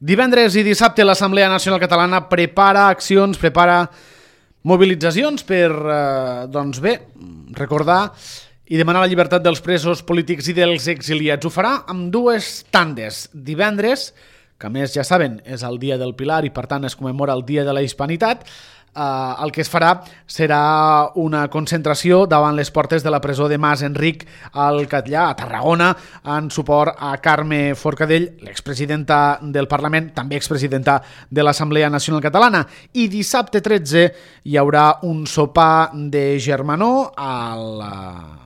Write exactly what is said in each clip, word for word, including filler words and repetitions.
Divendres i dissabte l'Assemblea Nacional Catalana prepara accions, prepara mobilitzacions per, eh, doncs bé, recordar i demanar la llibertat dels presos polítics i dels exiliats. Ho farà amb dues tandes. Divendres, que a més ja saben és el Dia del Pilar i per tant es commemora el Dia de la Hispanitat, Uh, el que es farà serà una concentració davant les portes de la presó de Mas Enric al Catllar, a Tarragona, en suport a Carme Forcadell, l'expresidenta del Parlament, també expresidenta de l'Assemblea Nacional Catalana. I dissabte tretze hi haurà un sopar de germanor a la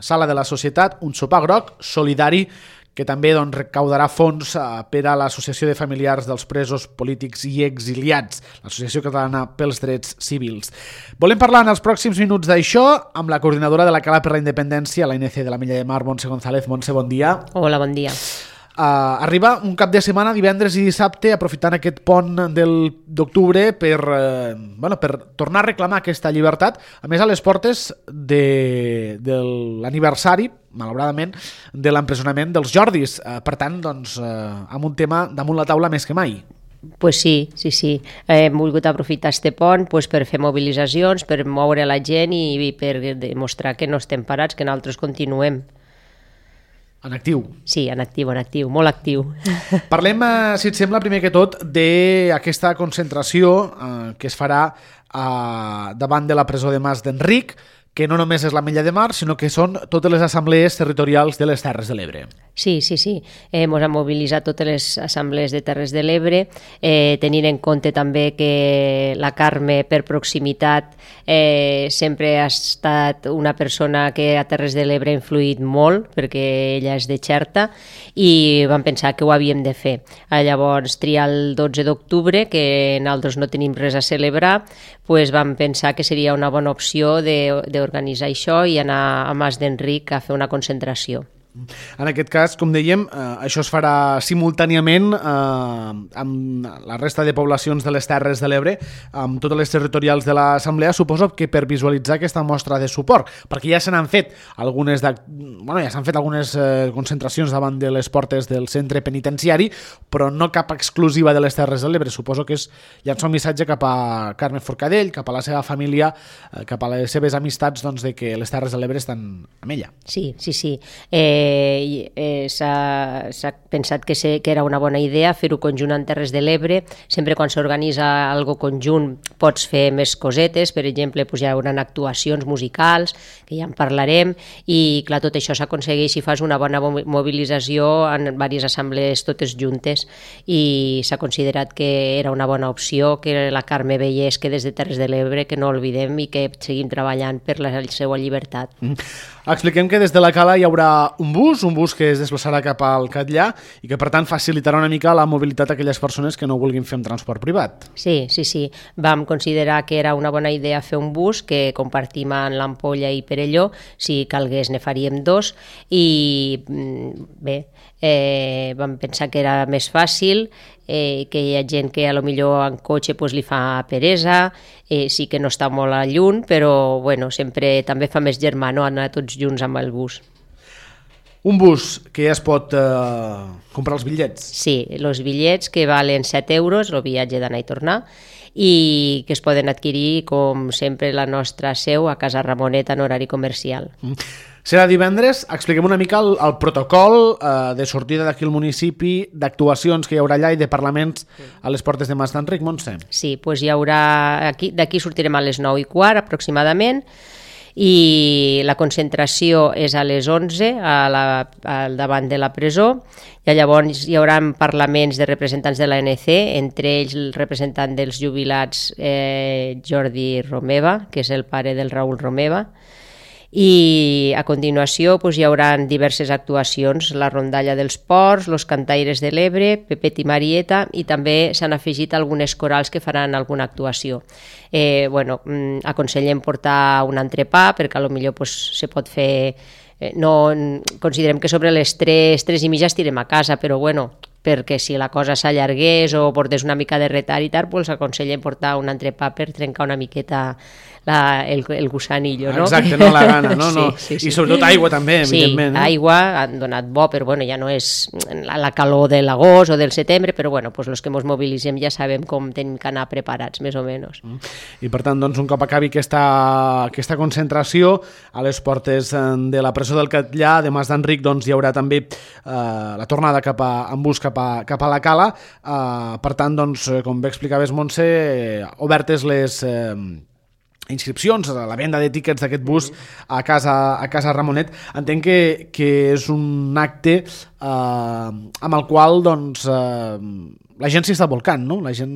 Sala de la Societat, un sopar groc solidari que també doncs, recaudarà fons per a l'Associació de Familiars dels Presos Polítics i Exiliats, l'Associació Catalana pels Drets Civils. Volem parlar en els pròxims minuts d'això amb la coordinadora de la Cala per la Independència, l'A N C de la Milla de Mar, Montse González. Montse, bon dia. Hola, bon dia. Uh, arriba un cap de setmana, divendres i dissabte, aprofitant aquest pont d'octubre per, uh, bueno, per tornar a reclamar aquesta llibertat, a més a les portes de, de l'aniversari, malauradament, de l'empresonament dels Jordis. Uh, per tant, doncs, uh, amb un tema damunt la taula més que mai. Pues sí, sí, sí. Hem volgut aprofitar este pont pues, per fer mobilitzacions, per moure la gent i, i per demostrar que no estem parats, que nosaltres continuem. En actiu. Sí, en actiu, en actiu, molt actiu. Parlem, eh, si et sembla, primer que tot, d'aquesta concentració eh, que es farà eh, davant de la presó de Mas d'Enric, que no només és la Milla de Mar, sinó que són totes les assemblees territorials de les Terres de l'Ebre. Sí, sí, sí. Ens hem mobilitzat totes les assemblees de Terres de l'Ebre, eh, tenint en compte també que la Carme, per proximitat, eh, sempre ha estat una persona que a Terres de l'Ebre ha influït molt, perquè ella és de Xerta, i vam pensar que ho havíem de fer. Llavors, triar el dotze d'octubre, que nosaltres no tenim res a celebrar, pues vam pensar que seria una bona opció de, de organitzar això i anar a Mas d'Enric a fer una concentració. En aquest cas, com dèiem, eh, això es farà simultàniament eh, amb la resta de poblacions de les Terres de l'Ebre, amb totes les territorials de l'Assemblea, suposo que per visualitzar aquesta mostra de suport, perquè ja se n'han fet algunes, de, bueno, ja s'han fet algunes eh, concentracions davant de les portes del centre penitenciari, però no cap exclusiva de les Terres de l'Ebre. Suposo que és llançar un missatge cap a Carme Forcadell, cap a la seva família, eh, cap a les seves amistats, doncs, de que les Terres de l'Ebre estan amb ella. Sí, sí, sí. Eh, Eh, eh, s'ha pensat que, sé, que era una bona idea fer-ho conjunt en Terres de l'Ebre. Sempre quan s'organitza algo conjunt pots fer més cosetes, per exemple pues, hi haurà actuacions musicals, que ja en parlarem, i clar, tot això s'aconsegueix si fas una bona mobilització en diverses assemblees totes juntes, i s'ha considerat que era una bona opció, que la Carme veiés que des de Terres de l'Ebre que no oblidem i que seguim treballant per la seva llibertat. Mm. Expliquem que des de la Cala hi haurà un bus, un bus que es desplaçarà cap al Catllar i que per tant facilitarà una mica la mobilitat d'aquelles persones que no vulguin fer amb transport privat. Sí, sí, sí. Vam considerar que era una bona idea fer un bus que compartim en l'Ampolla i Perelló, si calgués ne faríem dos, i bé, eh, vam pensar que era més fàcil, eh, que hi ha gent que a lo millor en cotxe pues, li fa peresa, eh, sí que no està molt a lluny, però bueno, sempre també fa més germano anar tots junts amb el bus. Un bus que ja es pot eh, comprar els bitllets. Sí, els bitllets que valen set euros, el viatge d'anar i tornar, i que es poden adquirir, com sempre, la nostra seu a Casa Ramonet en horari comercial. Mm. Serà divendres. Expliquem una mica el, el protocol eh, de sortida d'aquí al municipi, d'actuacions que hi haurà allà i de parlaments a les portes de Mas d'Enric. Montse. Sí, doncs hi haurà... D'aquí sortirem a les nou i quart aproximadament, i la concentració és a les onze a la, al davant de la presó, i llavors hi haurà parlaments de representants de l'A N C, entre ells el representant dels jubilats eh, Jordi Romeva, que és el pare del Raül Romeva, i a continuació doncs, hi haurà diverses actuacions, la rondalla dels ports, los cantaires de l'Ebre, Pepet i Marieta, i també s'han afegit algunes corals que faran alguna actuació. Eh, bueno, aconsellem portar un entrepà perquè a lo millor pues, se pot fer, eh, no, considerem que sobre les tres, tres i mitja estirem a casa, però bueno, perquè si la cosa s'allargués o portés una mica de retard i tal, doncs aconsellem portar un entrepà per trencar una miqueta la, el, el gusanillo, no? Exacte, no la gana, no? no. Sí, sí, sí. I sobretot aigua també, evidentment. Sí, aigua han donat bo, però bueno, ja no és la, la calor de l'agost o del setembre, però bueno, pues los que ens mobilitzem ja sabem com tenim que anar preparats, més o menys. I per tant, doncs, un cop acabi aquesta, aquesta concentració, a les portes de la presó del Catllà, de Mas d'Enric, doncs hi haurà també eh, la tornada cap a, en bus cap a, cap a la Cala. Eh, per tant, doncs, com bé explicaves, Montse, eh, obertes les eh, inscripcions, la venda de tíquets d'aquest bus a casa, a casa Ramonet. Entenc que, que és un acte eh, amb el qual doncs, eh, la gent s'hi està volcant, no? La gent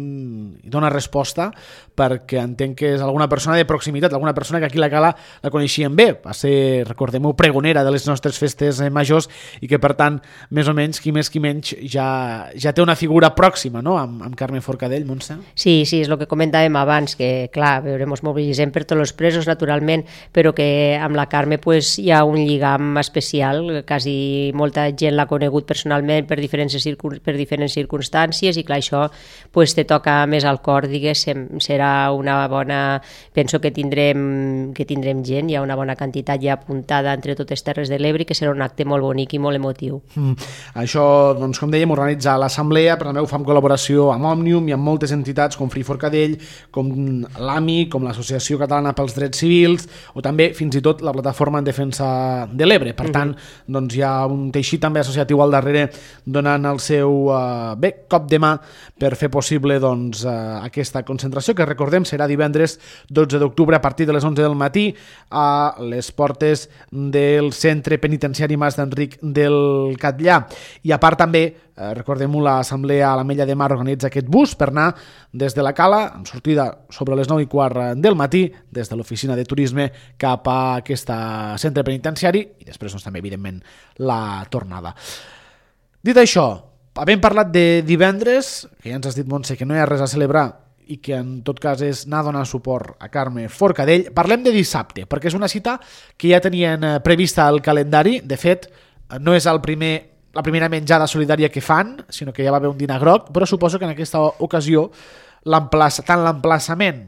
hi dona resposta perquè entenc que és alguna persona de proximitat, alguna persona que aquí a la Cala la coneixien bé, va ser, recordem-ho, pregonera de les nostres festes majors i que per tant, més o menys, qui més qui menys ja, ja té una figura pròxima, no?, amb, amb Carme Forcadell, Montse. Sí, sí, és el que comentàvem abans, que clar, veurem, mobilitzem per tots els presos, naturalment, però que amb la Carme pues, hi ha un lligam especial, quasi molta gent l'ha conegut personalment per diferents, circun per diferents circumstàncies, i clar, això pues, te toca més al cor, diguéssim, serà una bona... Penso que tindrem, que tindrem gent, hi ha una bona quantitat ja apuntada entre totes Terres de l'Ebre, que serà un acte molt bonic i molt emotiu. Mm. Això, doncs, com dèiem, organitza l'Assemblea, però també ho fa en col·laboració amb Òmnium i amb moltes entitats com Free Forcadell, com l'A M I, com l'Associació Catalana pels Drets Civils, o també, fins i tot, la Plataforma en Defensa de l'Ebre. Per tant, mm-hmm. doncs, hi ha un teixit també associatiu al darrere donant el seu eh, bé, cop de mà per fer possible doncs, eh, aquesta concentració, que recordem serà divendres dotze d'octubre a partir de les onze del matí a les portes del Centre Penitenciari Mas d'Enric del Catllà. I a part també, eh, recordem-ho, l'Assemblea a l'Ametlla de Mar organitza aquest bus per anar des de la Cala, amb sortida sobre les nou i quart del matí, des de l'oficina de turisme cap a aquest centre penitenciari i després doncs, també, evidentment, la tornada. Dit això, havent parlat de divendres, que ja ens has dit, Montse, que no hi ha res a celebrar i que en tot cas és anar a donar suport a Carme Forcadell, parlem de dissabte, perquè és una cita que ja tenien prevista al calendari. De fet, no és el primer, la primera menjada solidària que fan, sinó que ja va haver un dinar groc, però suposo que en aquesta ocasió tant l'emplaçament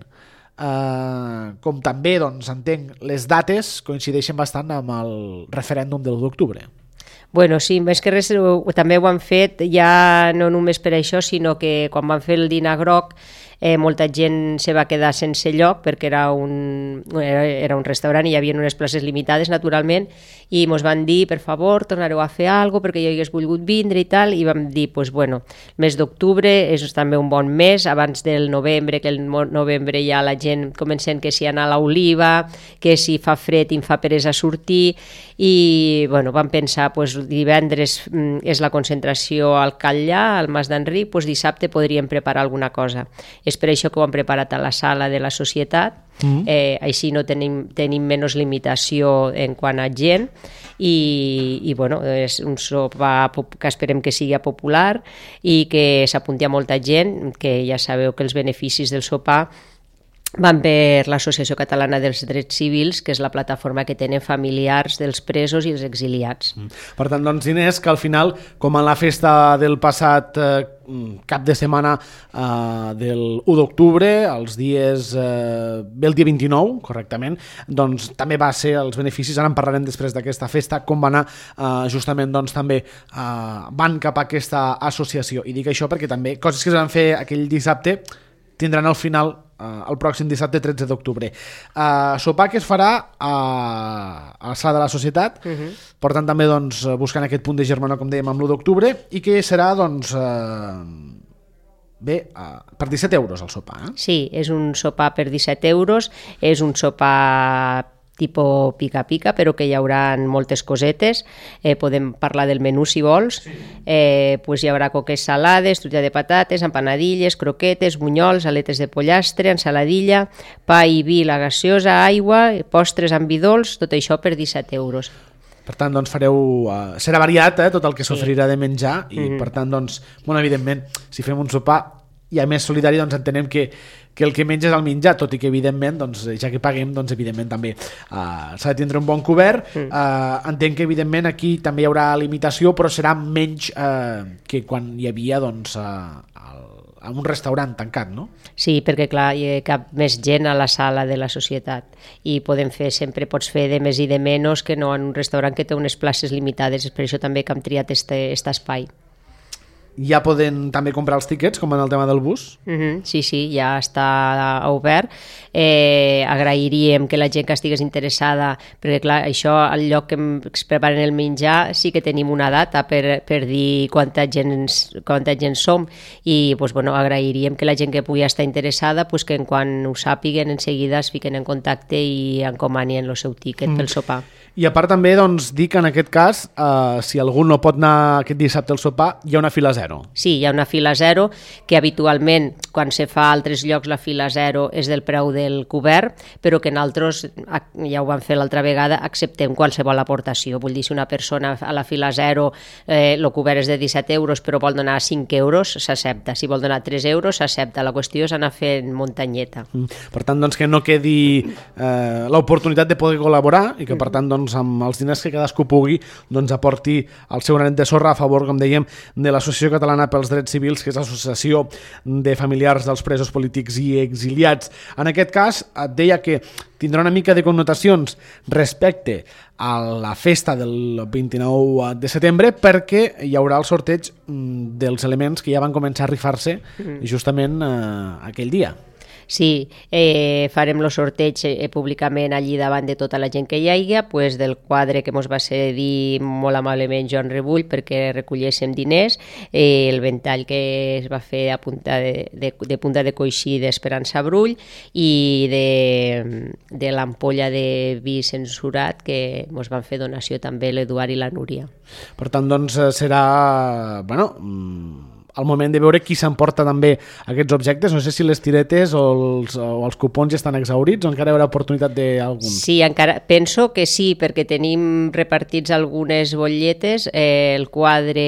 eh, com també, doncs, entenc, les dates coincideixen bastant amb el referèndum de l'u d'octubre. Bueno, sí, més que res també ho han fet ja no només per això, sinó que quan van fer el dinar groc eh, molta gent se va quedar sense lloc perquè era un, era, era un restaurant i hi havia unes places limitades, naturalment, i ens van dir, per favor, tornareu a fer alguna cosa perquè jo hagués volgut vindre i tal, i vam dir, pues, bueno, el mes d'octubre és també un bon mes, abans del novembre, que el novembre ja la gent comencen que si anar a l'Oliva, que si fa fred i em fa peresa sortir, i bueno, vam pensar, pues, divendres mm, és la concentració al Catllà, al Mas d'Enric, pues, dissabte podríem preparar alguna cosa. És per això que ho hem preparat a la sala de la societat, mm. eh, així no tenim, tenim menys limitació en quant a gent i, i bueno, és un sopar que esperem que sigui popular i que s'apunti a molta gent, que ja sabeu que els beneficis del sopar van per l'Associació Catalana dels Drets Civils, que és la plataforma que tenen familiars dels presos i els exiliats. Per tant, doncs, Inés, que al final, com en la festa del passat eh, cap de setmana eh, del u d'octubre, els dies, eh, bé el dia vint-i-nou, correctament, doncs també va ser els beneficis, ara en parlarem després d'aquesta festa, com va anar eh, justament doncs també eh, van cap a aquesta associació. I dic això perquè també coses que es van fer aquell dissabte tindran al final Uh, el pròxim dissabte tretze d'octubre. Uh, sopar que es farà a, a la sala de la societat, uh-huh. Per tant també doncs, buscant aquest punt de germanor, com dèiem, amb l'u d'octubre, i que serà doncs, uh, bé, uh, per disset euros el sopar. Eh? Sí, és un sopar per disset euros, és un sopar tipus pica-pica, però que hi haurà moltes cosetes. Eh, podem parlar del menú si vols. Sí. Eh, pues hi haurà coques salades, truita de patates, empanadilles, croquetes, bunyols, aletes de pollastre, ensaladilla, pa i vi, la gaseosa, aigua, postres amb vi dolç, tot això per disset euros. Per tant, doncs fareu... Uh, serà variat, eh, tot el que s'oferirà de menjar i, mm-hmm. per tant, doncs, bueno, evidentment, si fem un sopar i a més solidari, doncs entenem que, que el que menja és el menjar, tot i que evidentment, doncs, ja que paguem, doncs evidentment també uh, s'ha de tindre un bon cobert. Mm. Uh, entenc que evidentment aquí també hi haurà limitació, però serà menys uh, que quan hi havia doncs, uh, el, en un restaurant tancat, no? Sí, perquè clar, hi ha cap més gent a la sala de la societat i podem fer, sempre pots fer de més i de menys que no en un restaurant que té unes places limitades, és per això també que hem triat este, este espai. Ja poden també comprar els tiquets, com en el tema del bus? Uh-huh, sí, sí, ja està obert. Eh, agrairíem que la gent que estigués interessada, perquè clar, això, al lloc que es preparen el menjar, sí que tenim una data per, per dir quanta gent, quanta gent som i pues, bueno, agrairíem que la gent que pugui estar interessada pues, que quan ho sàpiguen en seguida es fiquen en contacte i encomanien el seu tiquet mm. pel sopar. I a part també doncs, dir que en aquest cas, eh, si algú no pot anar aquest dissabte al sopar, hi ha una fila zero. Sí, hi ha una fila zero, que habitualment, quan se fa a altres llocs, la fila zero és del preu del cobert, però que nosaltres, ja ho vam fer l'altra vegada, acceptem qualsevol aportació. Vull dir, si una persona a la fila zero, eh, el cobert és de disset euros, però vol donar cinc euros, s'accepta. Si vol donar tres euros, s'accepta. La qüestió és anar fent muntanyeta. Mm. Per tant, doncs, que no quedi eh, l'oportunitat de poder col·laborar i que, per tant, doncs, amb els diners que cadascú pugui doncs, aporti el seu granet de sorra a favor, com dèiem, de l'Associació Catalana pels Drets Civils, que és l'associació de familiars dels presos polítics i exiliats. En aquest cas, et deia que tindrà una mica de connotacions respecte a la festa del vint-i-nou de setembre perquè hi haurà el sorteig dels elements que ja van començar a rifar-se justament eh, aquell dia. Sí, eh, farem el sorteig eh, públicament allí davant de tota la gent que hi hagi, pues, del quadre que ens va cedir molt amablement Joan Rebull perquè recolléssim diners, eh, el ventall que es va fer a punta de, de, de punta de coixí d'Esperança Brull i de, de l'ampolla de vi censurat que ens van fer donació també l'Eduard i la Núria. Per tant, doncs, serà... bueno, al moment de veure qui s'emporta també aquests objectes. No sé si les tiretes o els, o els cupons ja estan exhaurits o encara hi haurà oportunitat d'alguns. Sí, encara, penso que sí, perquè tenim repartits algunes botlletes. Eh, el quadre,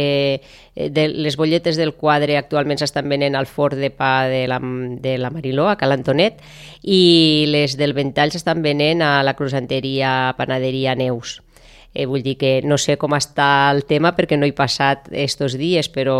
de, les botlletes del quadre actualment s'estan venent al forn de pa de la, de la Mariló, a Cal Antonet, i les del ventall s'estan venent a la croissanteria Panaderia Neus. Eh, vull dir que no sé com està el tema perquè no he passat estos dies, però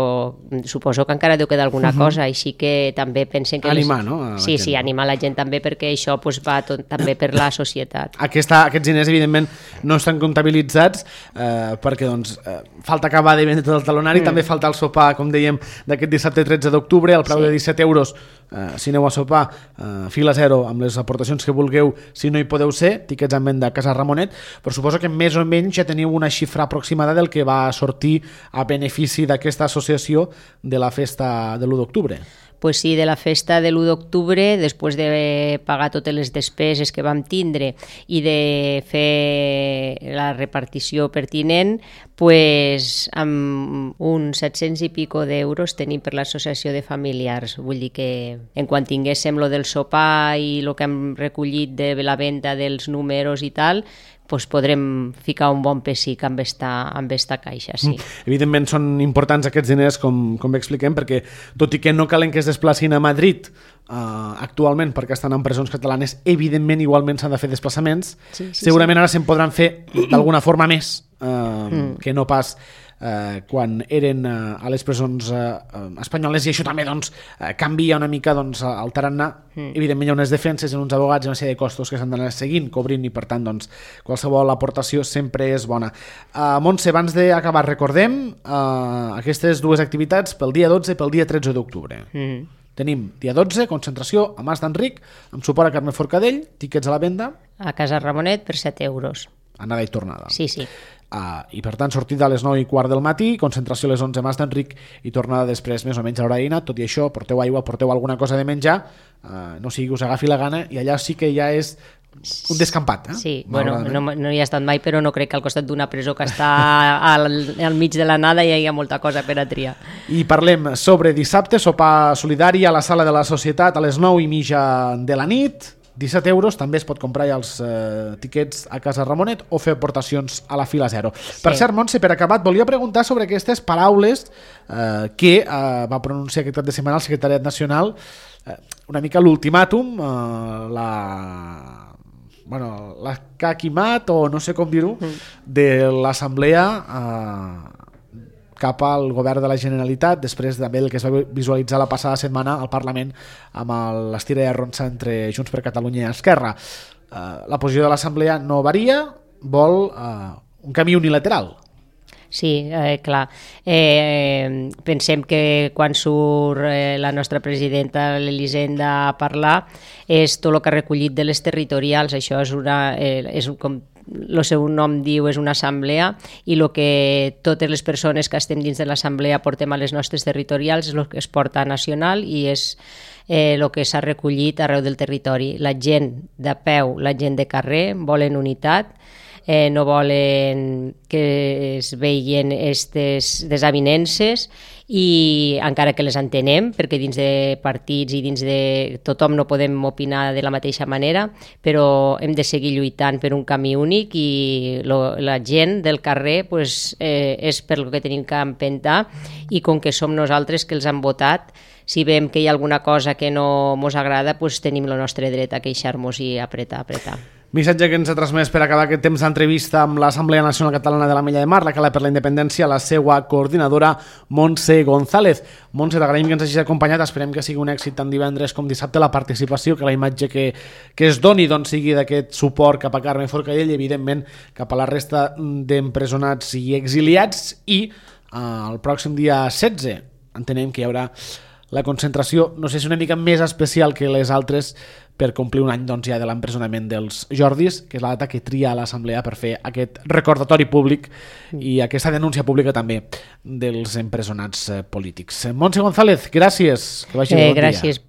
suposo que encara deu quedar alguna uh-huh. cosa, així que també pensen que... Animar, les... no? Sí, gent. Sí, animar la gent també perquè això pues, va tot, també per la societat. Aquesta, aquests diners, evidentment, no estan comptabilitzats eh, perquè doncs, eh, falta acabar de vendre tot el talonari, mm. també falta el sopar, com dèiem, d'aquest dissabte tretze d'octubre, al preu sí. de disset euros. Uh, si aneu a sopar, uh, fila zero amb les aportacions que vulgueu, si no hi podeu ser, tiquets en venda a Casa Ramonet, però suposo que més o menys ja teniu una xifra aproximada del que va sortir a benefici d'aquesta associació de la festa de l'u d'octubre. Pues sí, de la festa de l'u d'octubre, després de pagar totes les despeses que vam tindre i de fer la repartició pertinent, pues, amb uns set-cents i pico d'euros tenim per l'associació de familiars. Vull dir que en quan tinguéssim lo del sopar i el que hem recollit de la venda dels números i tal, pues podrem ficar un bon pessic amb esta, amb esta caixa, sí. Evidentment són importants aquests diners, com, com bé expliquem, perquè tot i que no calen que es desplacin a Madrid uh, actualment perquè estan en presons catalanes, evidentment igualment s'han de fer desplaçaments. Sí, sí, segurament sí. Ara se'n podran fer d'alguna forma més uh, mm. que no pas Uh, quan eren uh, a les presons uh, uh, espanyoles, i això també doncs, uh, canvia una mica doncs, alterant-ne. Mm. Evidentment hi ha unes defenses, uns advocats i una sèrie de costos que s'han d'anar seguint, cobrint, i per tant doncs, qualsevol aportació sempre és bona. uh, Montse, abans d'acabar recordem uh, aquestes dues activitats pel dia dotze i pel dia tretze d'octubre. Mm. Tenim dia dotze, concentració a Mas d'Enric amb suport a Carme Forcadell, tiquets a la venda a Casa Ramonet per set euros, anada i tornada. Sí, sí. Uh, i per tant sortida a les nou i quart del matí, concentració a les onze a Mas d'Enric i tornada després més o menys a l'hora d'eina. Tot i això, porteu aigua, porteu alguna cosa de menjar, uh, no sigui que us agafi la gana, i allà sí que ja és un descampat, eh? Sí, bueno, no, no hi he estat mai, però no crec que al costat d'una presó que està al, al mig de la nada hi hagi molta cosa per a triar. I parlem sobre dissabte, sopar solidari a la sala de la Societat a les nou i mitja de la nit. disset euros, també es pot comprar ja els eh, tiquets a Casa Ramonet o fer aportacions a la fila zero. Sí. Per cert, Montse, per acabat, volia preguntar sobre aquestes paraules eh, que eh, va pronunciar aquest cap de setmana el secretariat nacional, eh, una mica l'ultimàtum, eh, la... bueno, la caquimat, o no sé com dir-ho, mm. de l'assemblea eh, cap al govern de la Generalitat, després també el que es va visualitzar la passada setmana al Parlament amb l'estira i arronsa entre Junts per Catalunya i Esquerra. Uh, la posició de l'Assemblea no varia, vol uh, un camí unilateral. Sí, eh, clar. Eh, pensem que quan surt eh, la nostra presidenta, l'Elisenda, a parlar, és tot el que ha recollit de les territorials. Això és una... Eh, és un, com el seu nom diu, és una assemblea, i el que totes les persones que estem dins de l'assemblea portem a les nostres territorials és el que es porta nacional i és eh, el que s'ha recollit arreu del territori. La gent de peu, la gent de carrer, volen unitat, Eh, no volen que es vegin aquestes desavinences i encara que les entenem, perquè dins de partits i dins de tothom no podem opinar de la mateixa manera, però hem de seguir lluitant per un camí únic i lo, la gent del carrer pues, eh, és per el que tenim que empentar, i com que som nosaltres que els han votat, si veiem que hi ha alguna cosa que no ens agrada, pues tenim el nostre dret a queixar-nos i apretar, apretar. Missatge que ens ha transmès per acabar aquest temps d'entrevista amb l'Assemblea Nacional Catalana de l'Ametlla de Mar, la Cala per la Independència, la seva coordinadora, Montse González. Montse, t'agraïm que ens hagis acompanyat, esperem que sigui un èxit tant divendres com dissabte la participació, que la imatge que, que es doni doncs, sigui d'aquest suport cap a Carme Forcadell i evidentment cap a la resta d'empresonats i exiliats, i eh, el pròxim dia setze entenem que hi haurà la concentració, no sé si una mica més especial que les altres, per complir un any doncs, ja de l'empresonament dels Jordis, que és la data que tria l'Assemblea per fer aquest recordatori públic i aquesta denúncia pública també dels empresonats polítics. Montse González, gràcies. Que vagi bé, bon dia. Gràcies.